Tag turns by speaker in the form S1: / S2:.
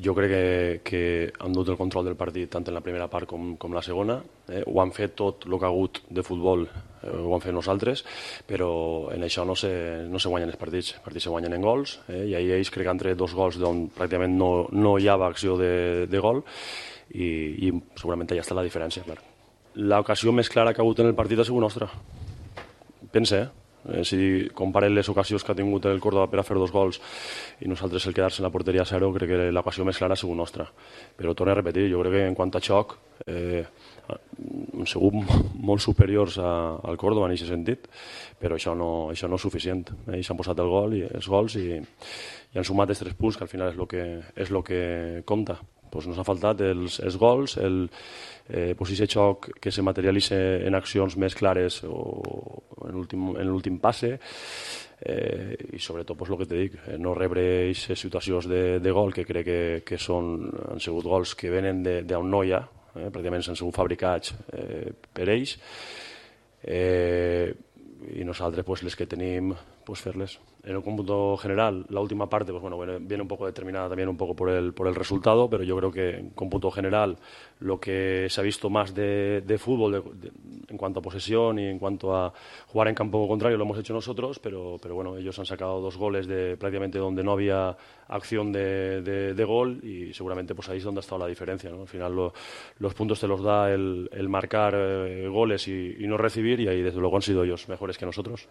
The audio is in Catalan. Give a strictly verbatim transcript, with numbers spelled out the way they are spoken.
S1: Jo crec que, que han dut el control del partit tant en la primera part com, com la segona. Eh, ho han fet tot el que ha hagut de futbol, eh, ho han fet nosaltres, però en això no se, no se guanyen els partits. Els partits se guanyen en gols, eh, i ahir ells crec que han tret dos gols d'on pràcticament no, no hi havia acció de, de gol, i, i segurament allà està la diferència, clar. L'ocasió més clara que ha hagut en el partit ha sigut nostra. Pensa, eh? Eh, si comparen les ocasions que ha tingut el Córdoba per a fer dos gols i nosaltres el quedar-se en la porteria a zero, crec que l'ocasió més clara ha sigut nostra. Però torno a repetir, jo crec que en quant a xoc eh, hem sigut molt superiors a, al Córdoba en aquest sentit, però això no, això no és suficient. Ells han posat el gol i els gols i, i han sumat els tres punts, que al final és el que, és lo que compta. Pues nos ha faltat els, els gols, el, eh, pues ese xoc que se materialitza en accions més clares o en l'últim passe, eh, i sobretot pues, el que te dic, eh, no rebre aquestes situacions de, de gol que crec que, que són, han sigut gols que venen d'on no hi ha, eh, pràcticament s'han sigut fabricats eh, per ells, eh, y nosaltres pues les que tenim pues fer-les. En el cómputo general, la última parte pues bueno, viene un poco determinada también un poco por el, por el resultado, pero yo creo que en cómputo general lo que se ha visto más de, de fútbol de, de, en cuanto a posesión y en cuanto a jugar en campo contrario lo hemos hecho nosotros, pero, pero bueno, ellos han sacado dos goles de prácticamente donde no había acción de, de, de gol, y seguramente pues ahí es donde ha estado la diferencia, ¿no? Al final lo, los puntos te los da el, el marcar eh, goles y, y no recibir, y ahí desde luego han sido ellos mejores que nosotros.